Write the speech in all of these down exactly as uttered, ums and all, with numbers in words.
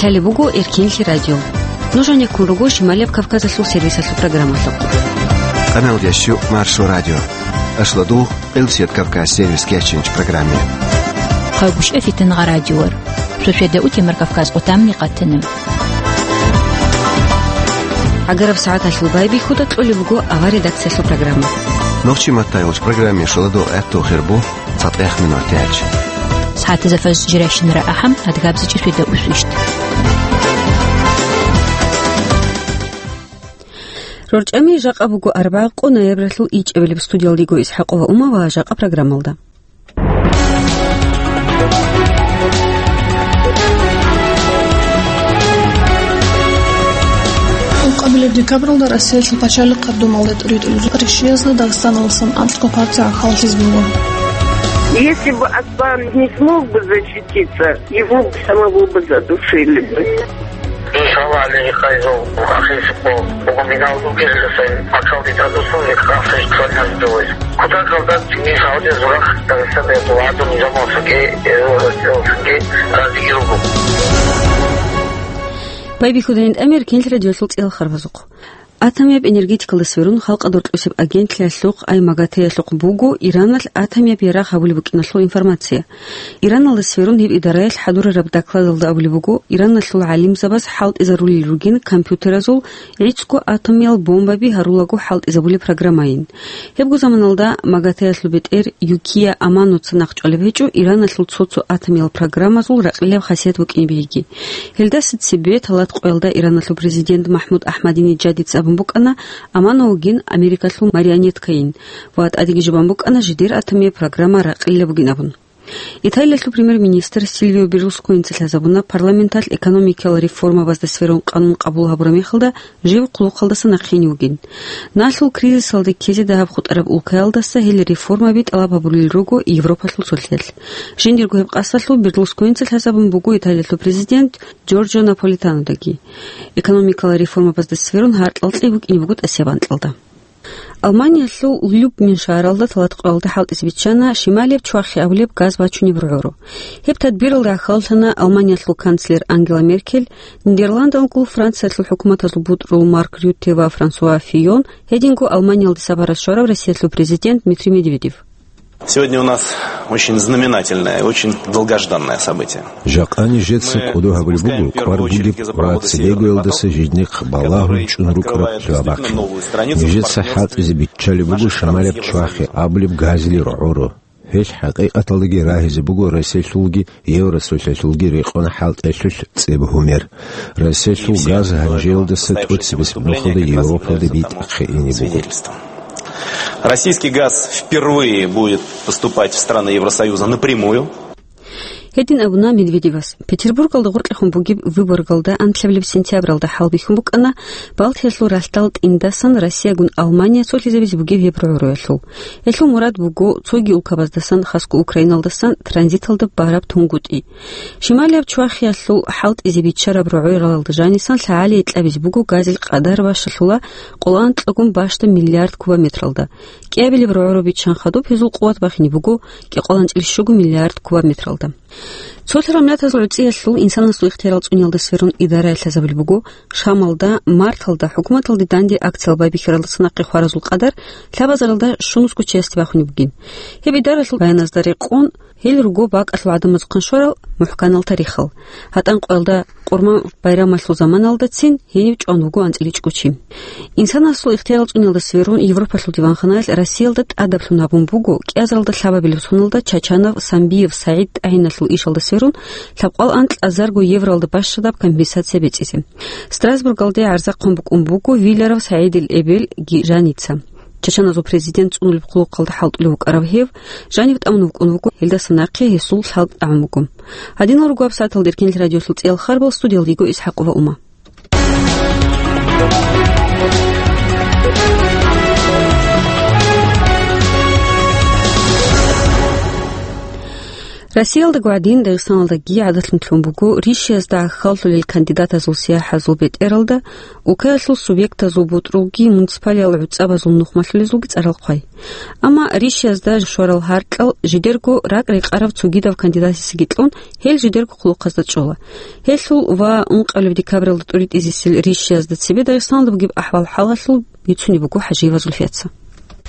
Лъалеб буго Эркинлъи радио. Нуж гьанеккун руго Шималияб Кавказалъул сервисалъул программалъухъ. Канал дящу Маршо радио. Ашлодугъ Элсет Кавказ сервис кечинч программе. Хъагушев Фитнагъа радиор. Суседа утемар Кавказ къутамни къатана. Агараб сагӀаталъул байбихьуда кьолеб буго авар редакциялъул программа. Нохчи маттайгъулч программе шоладо гӀатту хирбу цатӀех минур тяч. СагӀатазда фаз жиращинара ахӀам, адгабзичи суседа усвищт. РорчӀами жакъа буго арбагъ къо ноябралъул ичӀабилеб студиялдего Исхакъова Ума ва жакъа программалда. Ункъабилеб декабралда Россиялъул пачалихъ гӀадамалда тӀуритӀулел ришиязда Дагъистаналдасан анкьго партия гӀахьаллъизе буго. Если бы Аслан не смог бы защититься, его бы самого бы задушили бы. Иншаллах, Алиги Хайзов, Ахиско, Богоминал Дугезлисен, Макал Дитадусун, Михаил Фейсович Квадрат Куда солдат не Саудия Зурах, Дагестан, Эдуарду, Низамовсуге, Эдуарду, Раздигиругу. Байбихьудайин тӀамер кинл радиолъул цӀел харбазухъ. Атомияб энергетикалда сверун халкъа доркьусеб агентлъиялъухъ ай МАГАТЭялъухъ буго Ираналъ атомияб ярагъ гьабулеб букӀиналъул информация. Ираналда сверун гьеб идараялъ хӀадурараб докладалда абулеб буго, Ираналъул гӀалимзабаз хӀалтӀизарулел ругин компьютеразул гӀицӀго атомиял бомбаби гьарулаго хӀалтӀизабулеб программайин. Гьебго заманалда МАГАТЭялъул бетӀер Юкия Аманоца нахъчӀвалеб гьечӀо Ираналъул цо-цо атомиял программазул ракьилаб хасият букӀинеб гьеги. Гьелдаса цебе талат къоялда Ираналъул президент МахӀмуд Ахмадинеджадица абун букӀана Амановгин Америкалъул марионеткайин ва тӀадеги жубан букӀана жидер атомияб программа ракьилаб бугин абун. Италиялъул премьер-министр Сильвио Берлусконица лъазабуна парламенталъ экономикиял реформабазда сверун къанун къабул гьабураб мехалда жив хъулухъалдаса нахъе гьенив вугин. Налъул кризисалда ккезе дагьаб хутӀараб улкаялдаса гьел реформаби тӀалаб гьабулел руго Европалъул цолъиялъ. Жиндирго гьеб къасдалъул Берлусконица лъазабун буго Италиялъул президент Джорджо Наполитанодаги. Экономикалал реформабазда сверун гьаркьал цӀи букӀине буго тӀасияб анкьалда. Алманиялъул Любмин шагьаралда талат къоялда хӀалтӀизе биччана шималияб чвахи абулеб газ бачунеб рогӀоро. Гьеб тадбиралда гӀахьаллъана Алманиялъул канцлер Ангела Меркель, Нидерландалгул, Франциялъул хӀукуматазул бутӀрул Марк Рютте ва Франсуа Фийон, гьединго Алманиялде сапаралъ щварав Россиялъул президент Дмитрий Медведев. Сегодня у нас очень знаменательное, очень долгожданное событие. Жакъа нижеца кӀодо гьабулеб буго кӀвар бугеб ва цебегоялдаса жидехъ балагьун чӀун рукӀараб лъугьа-бахъин. Нижеца хӀалтӀизе биччалеб буго шималияб чвахи абулеб газил рогӀоро. Гьелъ хӀакъикъаталдаги рагьизе буго Россиялъулги Евросоюзалъулги рекъон хӀалтӀиялъулъ цӀеб гьумер. Россиялъул газ гьанжеялдаса тӀоцебесеб нухалда Европалде битӀахъе ине буго. Российский газ впервые будет поступать в страны Евросоюза напрямую. Гьедин абуна Медведевас. Петербургалда гъоркьехун бугеб Выборгалда анлъабилеб сентябралда хӀалбихьун букӀана Балтиялъул ралъдал тӀиндасан Россиягун Алмания цолъизабизе бугеб гьеб рогӀороялъул. Гьелъул мурад буго цоги улкабаздасан, хасго Украиналдасан транзиталда бараб тунгутӀи. Шималияб чвахиялъул хӀалтӀизе биччараб рогӀоралда жанисан лъагӀалие кьабизе буго газил къадар бащалъула къоло анкьагун бащдаб миллиард кубометралда. КӀиабилеб рогӀоро биччан хадуб гьезул къуват бахине буго кӀикъоялда анцӀила щуго миллиард кубометралда. Цолъ рамлатазул гӀуцӀиялъул инсанасул ихтиярал цӀуниялда сверун идараялъ лъазабулеб буго Шамалда, марталда хӀукуматалде данде акциял байбихьаралдаса нахъе хваразул къадар лъабазаралда щунусго часть бахунеб бугин. Гьеб идаралъул баяназда рекъон, гьел руго бакӀалъул гӀадамазухъан щварал мухӀканал тарихал. ГьатӀан къоялда Къурман байрамалъул заманалдацин гьенив чӀван вуго анцӀила чӀучи. Инсанасул ихтиярал цӀуниялда сверун Европалъул диванханаялъ Россиялда тӀадаблъун гьабун буго кӀиазаралда лъабабилеб соналда Чачанов Самбиев СагӀид тӀагӀиналъул ишалда сверун лъабкъоялда анкьазарго евроялда бащадаб компенсация бецӀизе. Страсбургалде гӀарза хъван букӀун буго Виллеров СагӀидил эбелги жаница. Чачаназул президент цӀунулеб хъулухъалда хӀалтӀулев вукӀарав гьев, жанив тӀамун вукӀун вуго, гьелдаса нахъе гьесул лъалкӀ тӀагӀун буго. Гьадинал руго гьаб сагӀаталда Эркинлъи радиолъул цӀиял харбал, студиялда йиго Исхакъова Ума. Россиялдаго гӀадин, Дагъистаналдаги гӀадатлъун лъун буго ришиязда гӀахьаллъулел кандидатазул сияхӀазул бетӀералда улкаялъул субъектазул бутӀрулги муниципалиял гӀуцӀабазул нухмалъулезулги цӀарал хъвай. Амма ришиязда щварал гьаркьал жидерго ракӀ-рекъараб цогидаб кандидатасеги кьун, гьел жидерго хъулухъазда чӀола. Гьелъул ва ункъабилеб декабралда тӀуритӀизесел ришиязда цебе Дагъистаналда бугеб ахӀвал-хӀалалъул бицунеб буго ХӀажиева Зульфияца.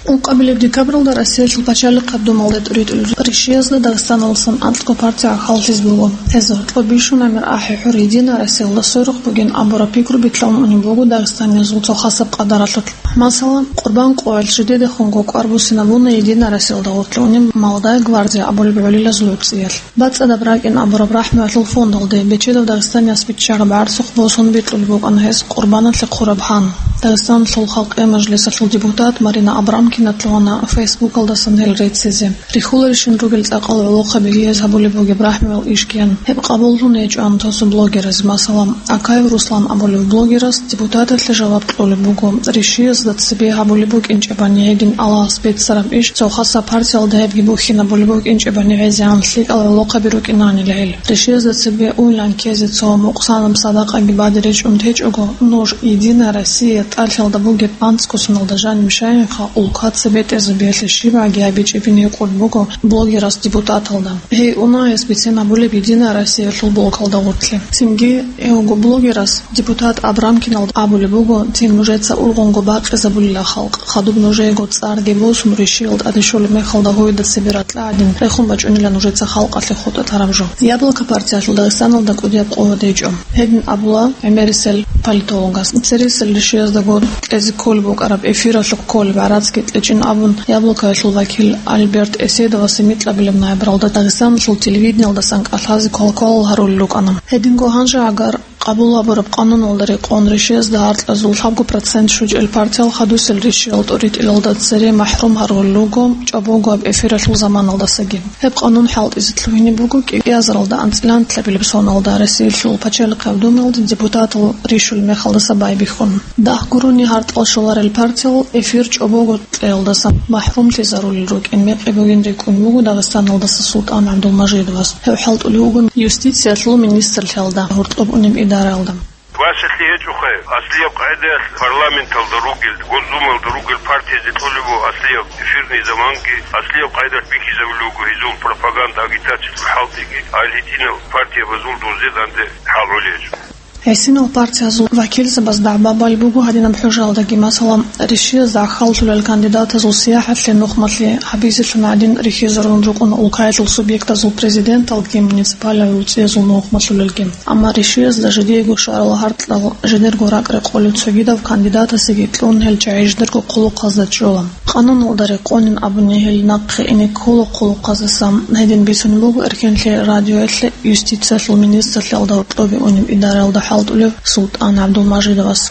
Ункъабилеб декабралда Россиялъул пачалихъаб думалда тӀуритӀулел ришиязда Дагъистаналдасан анцӀго партия гӀахьаллъизе буго. Гьез гьоркьоб бищун гӀемер ахӀи-хӀур Единая Россиялда сверухъ бугин абураб пикру битӀун унеб буго дагъистаниязул цо хасаб къадаралъулъ. Масала, Къурбан къоялъ жидедехунго кӀвар буссинабуна Единая Россиялда гъорлъ унеб «Молодая гвардия» абулеб гӀолилазул гӀуцӀиялъ. БацӀцӀадаб ракӀин абураб рахӀмуялъул фондалде бечедав Дагъистанияс биччараб гӀарцухъ босун бикьулеб букӀана гьес Къурбаналъе хъураб гьан. Дагъистаналъул халкъиял мажлисалъул депутат Марина Абрамкина лъугьана Фейсбукалдасан гьел реццизе. Рихьуларищин ругел цӀакъал гӀолохъаби гьез гьабулеб бугеб рахӀмуял ишкиян. Гьеб къабуллъун гьечӀоан цо-цо блогераз, масала, Акаев Руслан абулев блогерас депутаталъе жаваб кьолеб буго, ришиязда цебе гьабулеб букӀинчӀебани гьедин Аллагьас беццараб иш, цо хасаб партиялда гьебги бухьинабулеб букӀинчӀебани гӀезегӀан лъикӀал гӀолохъаби рукӀинанила гьел. Ришиязда цебе уйлан ккезе цо мукъсанаб садакъаги бадиб ричӀун течӀого, нуж Единая Россия тӀалъалда бугеб анцӀго соналда жаниб щайинха улкаца бетӀерзабиялъе щибгӀаги гьабичӀебин гьикъулеб буго блогерас депутаталда. Гьей уна гьес бицен гьабулеб Единая Россиялъул блокалда гъорлъе. Цинги гьевго блогерас депутат Абрамкиналда абулеб буго, цин нужеца ургъунго бакъизабулила халкъ, хадуб нужеего цӀарги босун, ришиял тӀаде щолеб мехалда гьоида цебе ракьа гӀадин рехун бачӀунила нужеца халкъалъе хутӀа тараб жо. Яблоко партиялъул Дагъистаналда кӀудияб къо гьечӀо. Гьедин абула гӀемерисел политологас. Цересел ришияздаго кьезе кколеб букӀараб эфиралъухъ кколеб гӀарацги кьечӀин абун, Яблокоялъул вакил Альберт Эседовасе микьабилеб ноябралда Дагъистаналъул телевидениялдасан кӀалъазе квалквалал гьарулел рукӀана. Гьединго гьанже гӀагар къабул гьабураб къануналда рекъон ришиязда гьаркьазул лъабго процент щвечӀел партиял хадусел ришиял тӀуритӀилалда цере махӀрум гьарулел руго чӀобогояб эфиралъул заманалдасаги. Гьеб къанун хӀалтӀизе лъугьине буго кӀиазаралда анцӀила нилъабилеб соналда Россиялъул пачалихъаб думаялде депутатал рищулеб мехалдаса байбихьун. Дагь гурони гьаркьал щоларел партиял эфир чӀобого кьеялдаса махӀрумлъизарулел рукӀин мекъи бугин рикӀкӀун буго Дагъистаналдаса СултӀан ГӀабдулмажидовас. Гьев хӀалтӀулев вугин юстициялъул министрлъиялда гьоркьоб унеб идараялда. Васалъи гьечӀоха, аслияб къагӀидаялъ парламенталда ругел, Госдумаялда ругел партиязе кьолеб буго аслияб эфирный заманги, аслияб къагӀидаялъ бихьизабулеб буго гьезул пропаганда, агитациялъул хӀалтӀиги, гьал гьитӀинал партиябазул дозде данде хӀал гӀолеб гьечӀо. ГӀисинал партиязул вакилзабаз дагӀба балеб буго гьадинаб хӀужаялдаги, масала, ришиязда гӀахьаллъулел кандидатазул сияхӀатлъи нухмалъи гьабизелъун гӀадин рихьизарун рукӀуна улкаялъул субъектазул президенталги муниципалиял гӀуцӀиязул нухмалъулелги. Амма ришиязда жидеего щварал гьаркьал жидерго ракӀ-рекъолел цогидав кандидатасеги кьун гьел чагӀи жидерго хъулухъазда чӀола. Къануналда рекъонин абуни гьел нахъе ине ккола хъулухъаздасан. Гьедин бицунеб буго Эркенлъи радиоялъе юстициялъул министрлъиялда гьоркьобе унеб идараялда хӀалтӀулев СултӀан ГӀабдулмажидовас.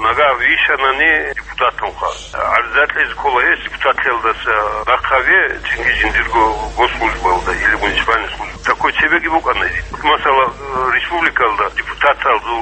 Нагагь вищанани депутаталха, гӀарза кьезе ккола гьес депутатлъиялдаса нахъа гьаве, цинги жиндирго госслужбаялда или муниципальный служба. Такой цебеги букӀана. Масала, республикалда депутаталда,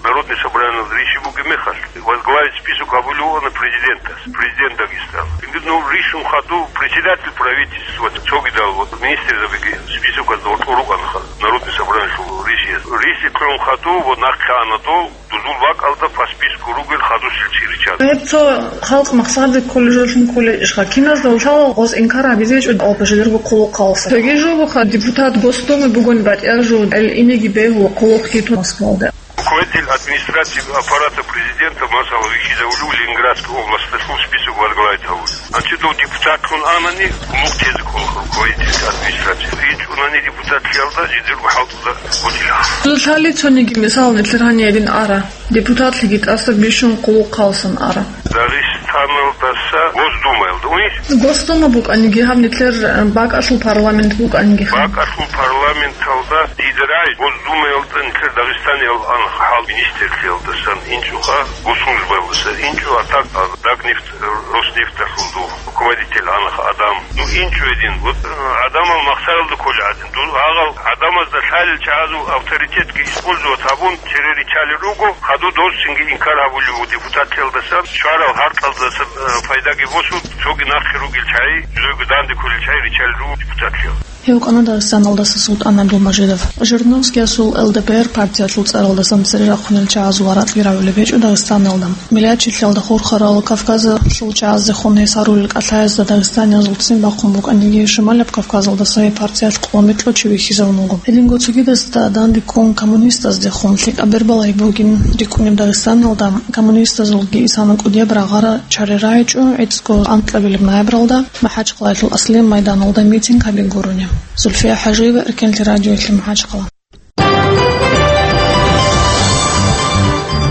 Народный собраниялда риши бугеб мехалъ, возглавить список гьабулев вукӀана президентас, президент Дагестана. Цинги, ну, ришун ходу председатель правительства, цогидал, вот, министрзабиги списокалда гьоркьор рукӀана Народный собраниялъул ришияс. Риши кьун ходу, вот, нахъе ана дол, дозул бакӀалда по списку ругел хадусел чи риччан. Гьеб цо халкъ махсарде кколей жолъун кколей ишха. Киназда лъала гъоз инкар гьабизе гьечӀо алпашидерго хъулухъалса. Цоги жо буха депутат Госдумы бугони батӀиял жо, ил инеги бегьула хъулухъги тун Москвалда. Руководитель администрации аппарата президента, масала, вихьизавулев Ленинградской областалъул список возглавить гьавулев. АнцӀидал депутатлъун анани, хъулухъ тезе ккола руководитель администрации. ИчӀунани депутатлъиялда жидерго хӀалтӀуда гъутӀила. Лъали цониги, мисал, нилъер гьаниб гьедин ара. Депутатлъиги тӀаса бищун хъулухъалсан ара. Дагъистаналдаса Госдумаялда. Уни? Госдума букӀаниги, гьаб нилъер бакӀалъул парламент букӀаниги. БакӀалъул парламент. Парламенталда дида рагӀи Госдумаялда нилъер Дагъистаниял анхъ гьал министрлъиялдасан инчӀоха, госслужбаялдаса инчӀо, а так, а, Дагнефть, Роснефталъул дов руководитель анхъ адам. Ну, инчӀо гьедин. Вот, э, гӀадамал махсаралда кколей гӀадин. Дун гьагъал гӀадамазда лъалел чагӀазул авторитетги использовать гьабун, цере риччалел руго, хадур дос цинги инкар гьабулев вуго депутатлъиялдасан, щварал гьаркьалдаса, э, пайдаги босун, цоги нахъе ругел чагӀи, жидерго данде кколел чагӀи риччалел руго депутатлъиял. Гьев вукӀана Дагъистаналдаса СултӀан ГӀабдулмажидов. Жириновскиясул Л Д П Р партиялъул цӀаралдасан цере рахъунел чагӀазул варакьги равулеб гьечӀо Дагъистаналда. Миллатчилъиялда хурхарал, Кавказалъул чагӀазехун гьес гьарулел кӀалъаязда дагъистаниязул ццин бахъун букӀаниги, Шималаб Кавказалдаса гьеб партиялъ къо-микьго чи вихьизабун вуго. Гьединго цогидазда данде ккун коммунистаздехун лъикӀаб бер балагьи бугин рикӀкӀунеб Дагъистаналда коммунистазулги исана кӀудияб рагъара чара рагӀичӀо гӀицӀго анкьабилеб ноябралда МахӀачхъалаялъул Аслен майданалда митинг гьабизе гурони. Зульфия ХӀажиева, Эркенлъи радиоялъе, МахӀачхъала.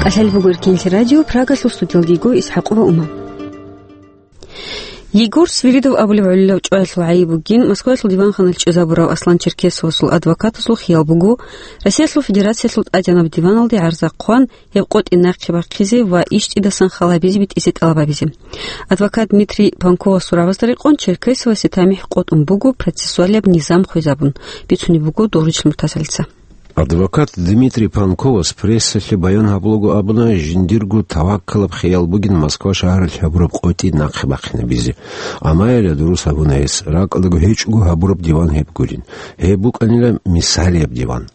КӀалъалеб буго Эркенлъи радио, Прагалъул студиялда йиго ИсхӀакъова Ума. Егор Свиридов абулеб гӀолилав чӀваялъул гӀайиб бугин, Москваялъул диванханалъ чӀезабурав Аслан Черкесовасул адвокатазул хиял буго, Россиялъул Федерациялъул тӀадегӀанаб диваналде гӀарза хъван, гьеб къотӀи нахъе бахъизе ва ищтӀидасан хал гьабизе битӀизе тӀалаб гьабизе. Адвокат Дмитрий Панковасул рагӀабазда рекъон Черкесовасе тамихӀ къотӀун буго процессуалияб низам хвезабун, бицунеб буго Доржичил Муртазалица. Адвокат Дмитрий Панковас прессалъе баян гьабулаго абуна, жиндирго таваккалаб хиял бугин Москва шагьаралъ гьабураб къотӀи нахъе бахъинабизе. Амма гьелда дурус гьабуна гьес, ракӀалдаго гьечӀого гьабураб диван гьеб гурин. Гьеб букӀанила мисалияб диван.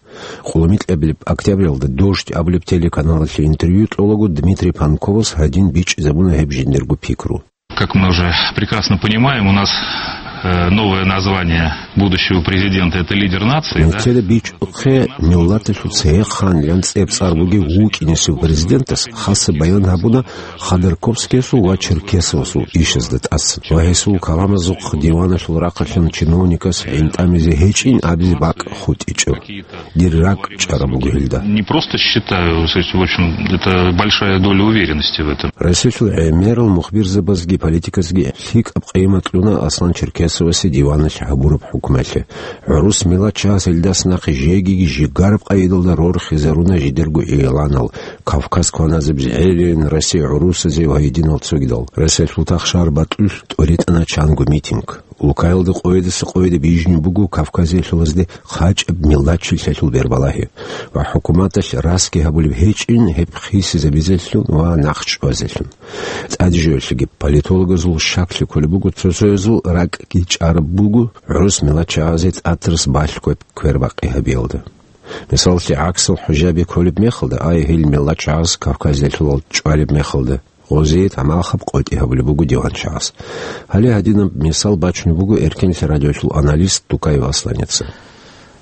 Къоломикьабилеб октябралда «Дождь» абулеб телеканалалъе интервью кьолаго Дмитрий Панковас гьадин бичӀчӀизабуна гьеб жиндирго пикру. Как мы уже прекрасно понимаем, у нас, э, новое название будущего президента — это лидер нации, да? Нилъеда бичӀчӀухъе, миллаталъул цевехъан лъанцӀеб цӀар бугев вукӀинесев президентас хасаб баян гьабуна Ходорковскиясул ва Черкесовасул ишазда тӀасан ва гьесул каламазухъ диваналъул рахъалъан чиновникас гӀинтӀамизе гьечӀин абизе бакӀ хутӀичӀо. Дир ракӀ чӀараб буго гьелда. Не просто считаю, в общем, это большая доля уверенности в этом. Россиялъул гӀемерал мухбирзабазги политиказги лъикӀаб къимат кьуна Аслан Черкесовасе диваналъ гьабураб хӀукмалъе. ГӀурус миллатчагьаз гьелдас нахъе жегиги жигараб къайдалда рорхизаруна жидерго игъланал, Кавказ кваназеб гӀелин, Россия гӀурусазев ва гьединал цогидал. Россиялъул тахшар батӀулъ тӀоритӀана чанго митинг. Улкаялда къоядаса къояде бижни буго Кавказиялъулазде хъачӀаб миллатчилъиялъул бербалагьи ва хӀукуматалъ расги гьабулеб гьечӀин гьеб хисизабизелъун ва нахъчӀвазелъун. ТӀадежоялъеги политологазул щаклъи кколеб буго, цо-цоязул ракӀги чӀараб буго гӀурус миллатчагьазе тӀатрас балъгояб квербакъи гьабиялда. Мисаллъи, гӀаксал хӀужаби кколеб мехалда, ай, гьел миллатчагьаз Кавказиялъулал чӀвалеб мехалда, гъозие тамахаб къотӀи гьабулеб буго диванчагьаз. Гьале гьадинаб мисал бачунеб буго Эркенлъи радиолъул аналист Тукаев Асланица.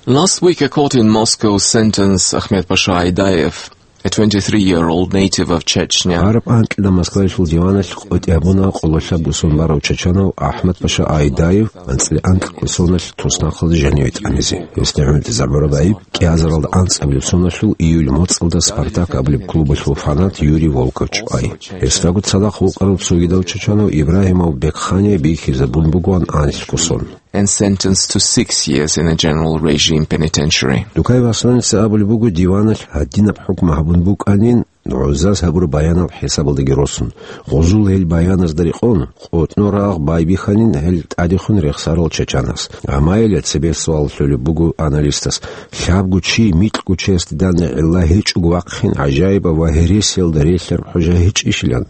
Last week, a court in Moscow sentenced Ahmed Pasha Aidayev, a twenty-three-year-old native of Chechnya. Гьараб анкьида Москваялъул диваналъ къотӀи гьабуна къололъаб бусурбаб чачанав АхӀмад-паша Айдаев анцӀила анкьго соналъ туснахъалда жаниве тӀамизе. Гьесда гӀумру тӀезабураб гӀайиб кӀиазаралда анцӀабилеб соналъул июль моцӀалда «Спартак» абулеб клубалъул фанат Юрий Волков чӀвай. Гьесдаго цадахъ вукӀарав цогидав чачанав Ибрагьимов Бекхания бихьизабун бугоан анлъго сон. And sentenced to six years in a general regime penitentiary. Тукаев Асланица абулеб буго, диваналъ гьадинаб хӀукму гьабун букӀанин, гӀузаз гьабураб баянал хӀисабалдаги росун. Гъузул гьел баяназда рекъон, къотӀно рагъ байбихьанин гьел тӀадехун рехсарал чачанас. Амма гьеле цебе суал лъолеб буго аналистас: лъабго чи микьго чиясде данде гӀилла гьечӀого вахъин гӀажаибаб ва гьересиялда релълъараб хӀужа гьечӀищилан?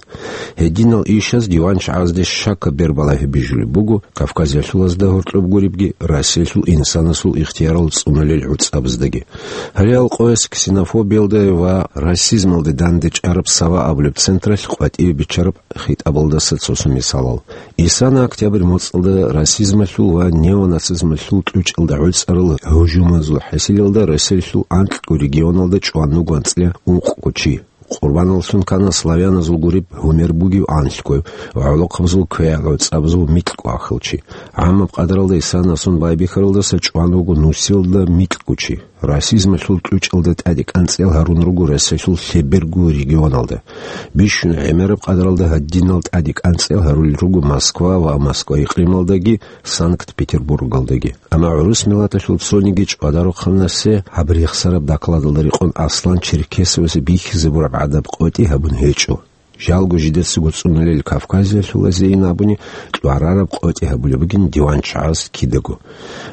Гьединал ишаз диванчагӀазде щакаб бербалагьи бижулеб буго Кавказиялъулазда гьоркьоб гуребги, Россиялъул инсанасул ихтиярал цӀунулел гӀуцӀабаздаги. Гьале алкъояс ксенофобиялда ва расизмалде данде чӀараб «Сава» абулеб централъ къватӀиве биччараб хитӀабалдаса цо-цо мисалал. Исана октябрь моцӀалда расизмалъул ва неонацизмалъул кьучӀалда гӀуцӀарал гьужумазул хӀасилалда Россиялъул анкьго регионалда чӀван вуго анцӀила ункъго чи. Къурбаналлъун ккана славяназул гуреб гьумер бугев анлъго ва гӀолохъабазул квегӀ гӀуцӀабазул микьго ахил чи. ГӀаммаб къадаралда исанасун байбихьаралдаса чӀван вуго нусилда микьго чи. расизмалъул кьучӀалда тӀаде кӀанцӀел гьарун руго Россиялъул лъеберго регионалда. Бищун гӀемераб къадаралда гьадинал тӀаде кӀанцӀел гьарулел руго Москва ва Москва икълималдаги, Санкт-Петербургалдаги. Амма гӀурус миллаталъул цониги чӀвадарухъанасе гьаб рехсараб докладалда рекъон Аслан Черкесовасе бихьизабураб гӀадаб къотӀи гьабун гьечӀо. Жалго жидецаго цӀунулел Кавказиялъул азейин абуни кьварараб къотӀи гьабулеб бугин диван чагӀаз кидаго.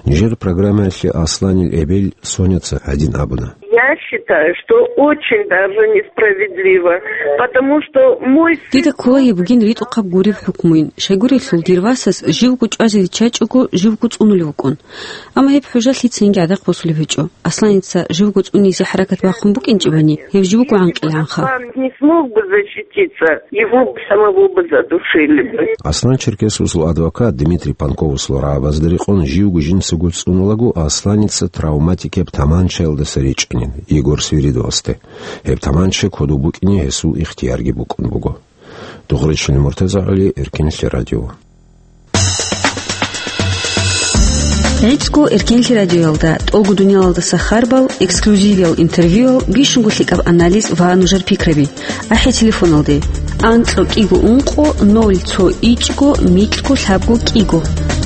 Нижер программаялъе Асланил эбел Соняца гьадин абуна. Я считаю, что очень даже несправедливо, потому что мой сын... Дида ккола гьеб бугин ритӀухъаб гуреб хӀукмуйин. Щайгурелъул дир васас живго чӀвазе риччачӀого, живго цӀунулев вукӀун. Амма гьеб хӀужа лъицанги гӀадахъ босулеб гьечӀо. Асланица живго цӀунизе хӀаракат бахъун букӀинчӀебани, гьев жив вуго гӀанкъилгӀанха. Вам не смог бы защититься, его бы самого бы задушили бы. Аслан Черкесовасул адвокат Дмитрий Панковасул рагӀабазда рекъон живго жинцаго цӀунулаго Асланица травматикияб таманчаялдаса ричӀанин Егор Свиридовасде. Гьеб таманча кодоб букӀине гьесул ихтиярги букӀун буго. Дугъричилин Муртаза ГӀали, Эркенлъи радио. ГӀицӀго Эркенлъи радиоялда тӀолго дуниялалдаса харбал, эксклюзивиял интервьюял, бищунго лъикӀаб анализ ва нужер пикраби. АхӀи телефоналде: анкьго кӀиго ункъо ноль цо ичӀго микьго лъабго кӀиго.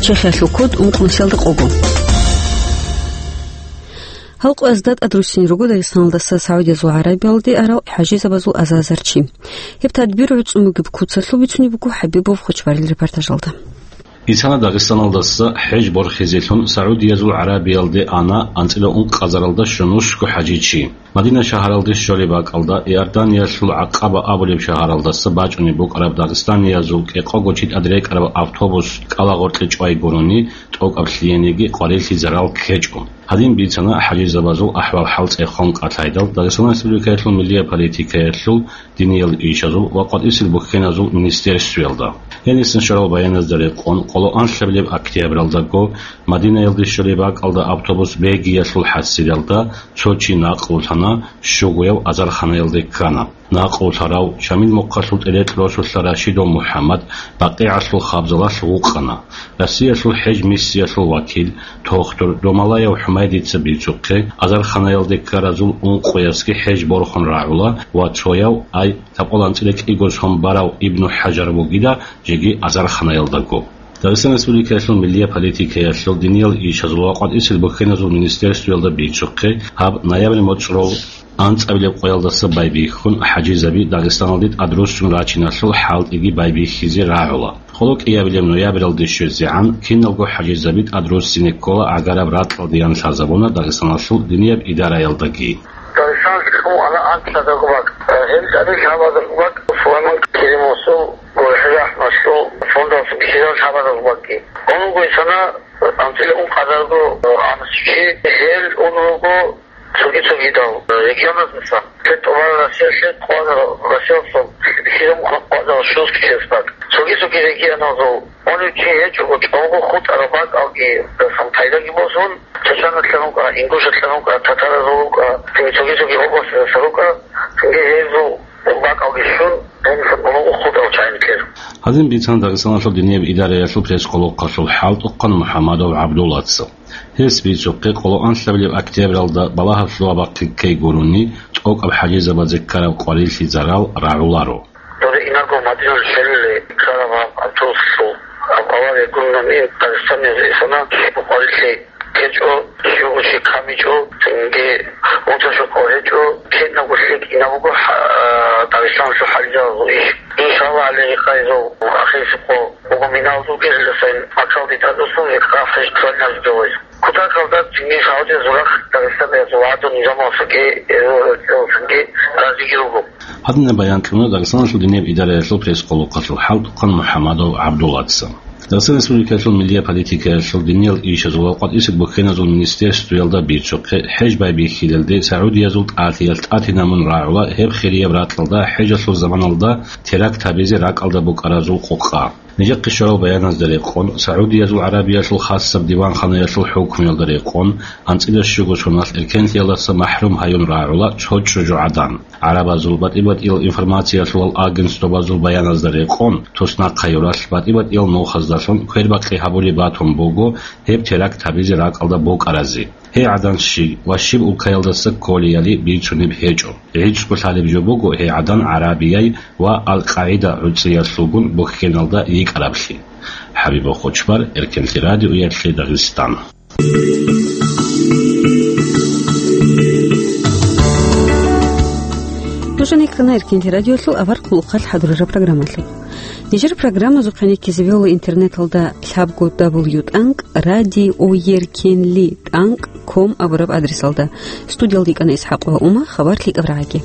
Чехиялъул код ункънусиялда къого. Гьал къоязда тӀадруссин руго Дагъистаналдаса СагӀудиязул ГӀарабиялде арал хӀажизабазул азазарчи. Гьеб тадбир гӀуцӀун бугеб куцалъул бицунеб буго ХӀабибов Хочбарил репортажалда. Бицана Дагъистаналдаса хӀеж борхизелъун СагӀудиязул ГӀарабиялде ана анцӀила ункъазаралда щунусго хӀажичи. Мадина шагьаралде щолеб бакӀалда, Иорданиялъул Акъаба абулеб шагьаралдаса бачӀунеб букӀараб дагъистаниязул кӀикъого чи тӀад рекӀараб автобус кӀалагъоркье чӀвай гурони, тӀокӀаб лъиениги къварилъи зарал ккечӀо. Гьадин бицана хӀажизабазул ахӀвал-хӀал цӀехон къалъайдал Дагъистан Республикаялъул миллияб политикаялъул, диниял ишазул ва къватӀисел бухьеназул министерствоялда. Гьенисан щварал баяназда рекъон, къоло анлъабилеб октябралдаго Мадинаялде щолеб бакӀалда автобус Бегиялъул хӀасилалда цо чи накълулъана, щугояв азарханаялде ккана. Накълулъарав Шамил мухъалъул тӀерекь росулъа Рашидов МухӀаммад БакъигӀалъул хабзалалъ вукъана. Россиялъул хӀеж миссиялъул вакил, тохтур Домалаев ХӀумайдица бицухъе, азарханаялде ккаразул ункъоясги хӀеж борхун рагӀула ва цояв, ай, лъабкъоялда анцӀила кӀиго сон барав Ибну ХӀажар вугила, жеги азарханаялдаго. Дагъистан Республикаялъул миллияб политикаялъул, диниял ишазул ва къватӀисел бухьеназул министерствоялда бицухъе, гьаб ноябрь моцӀрол анцӀабилеб къоялдаса байбихьун, хӀажизаби Дагъистаналде тӀадруссун рачиналъул хӀалтӀиги байбихьизе рагӀула. Къоло кӀиабилеб ноябралде щвезегӀан киналго хӀажизаби тӀадруссине ккола гӀагараб ракьалде, ян лъазабуна Дагъистаналъул динияб идараялдаги. Дагъистаналъул ана анцӀила бакӀ, гьел тӀаде лъабазул бакӀ, Сулайман Керимовасул, ГурхӀел РахӀматалъул фондалъул ккелал лъабазул бакӀги. Гьанже гьесана анцӀила ункъазарго анцӀчи, гьел ун руго цоги-цогидал регионаздаса. Кье тӀубараб Россиялъе, къвараб Россиялдаса бихьизабун къвараб щунусго чиясда. Цоги-цоги регионазул унев чи гьечӀого, чӀого хутӀараб бакӀалги, дасан пайдаги босун, чачаналъан вукӀа, ингушалъан вукӀа, татаразул вукӀа, цоги-цоги областаздаса рукӀа, цинги гьезул бакӀалги щун, гьениса гьанже хутӀарал чагӀи ккела. Гьадин бицана Дагъистаналъул динияб идараялъул пресс-къулухъалъул хӀалтӀухъан МухӀамадов ГӀабдуллаца. Гьес бицухъе, къоло анлъабилеб октябралда балагьаблъугьа бахъизе ккей гурони, тӀокӀаб хӀажизабазе ккараб къварилъи зарал рагӀуларо. Доре инарго Мадиналъ щвелалде ккараб гьаб автобусалъул гьаб авария гурони, Дагъистаналъ исана щиб къварилъи ккечӀо, щуго чи камичӀо, цинги унташухъ гьечӀо, кинабго лъикӀ инабго гьа-, Дагъистаналъул хӀалиялъул иш. Иншаллагь, гьале гьекъезул ахирисеб къо буго миналдул гериласан маккалде тӀадвуссун, гьекъа хӀеж кколин гьабизе. Кутакалда цинги Саудиязул рахъ Дагъистаниязул гӀадан низамалъги, э, цинги разиги руго. Гьадинаб баян кьуна Дагъистаналъул динияб идараялъул пресс-къулухъалъул хӀалтӀухъан МухӀамадов ГӀабдуллаца. Дагъистан Республикаялъул миллияб политикаялъул, динияб ишазул ва къватӀисел бухьеназул министерствоялда бицухъе, хӀеж байбихьилалде Саудиязул тӀатиялъ тӀатинабун рагӀула гьеб хирияб ракьалда хӀежалъул заманалда теракт гьабизе ракӀалда букӀаразул къокъа. Нижехъе щварал баяназда рекъон, Саудиязул ГӀарабиялъул хасаб диванханаялъул хӀукмуялда рекъон, анцӀила щуго соналъ эркенлъиялдаса махӀрум гьаюн рагӀула цо чӀужугӀадан. ГӀарабазул батӀи-батӀиял информациялъулал агентствабазул баяназда рекъон, туснахъ гьаюралъ батӀи-батӀиял нухаздалъун квербакъи гьабулеб батун буго гьеб теракт гьабизе ракӀалда букӀаразе. Гьей гӀадан щиб ва щиб улкаялдаса кколеяли бицунеб гьечӀо. ГӀицӀго лъалеб жо буго гьей гӀадан ГӀарабияй ва Ал-КъагӀида гӀуцӀиялъулгун бухьеналда йикӀараблъи. ХӀабибул Хъучбар, Эркенлъи радиоялъе Дагъистан. Нуж гьанеккана Эркенлъи радиолъул авар хъулухъалъ хӀадурараб программалъухъ. Нижер программазухъе ккезабиула интернеталда лъабго дабл ю тӀанкӀ радиоеркенли тӀанкӀ ком абураб адресалда. Студиялда йикӀана ИсхӀакъ ва Ума, хабар лъикӀаб рагӀаги.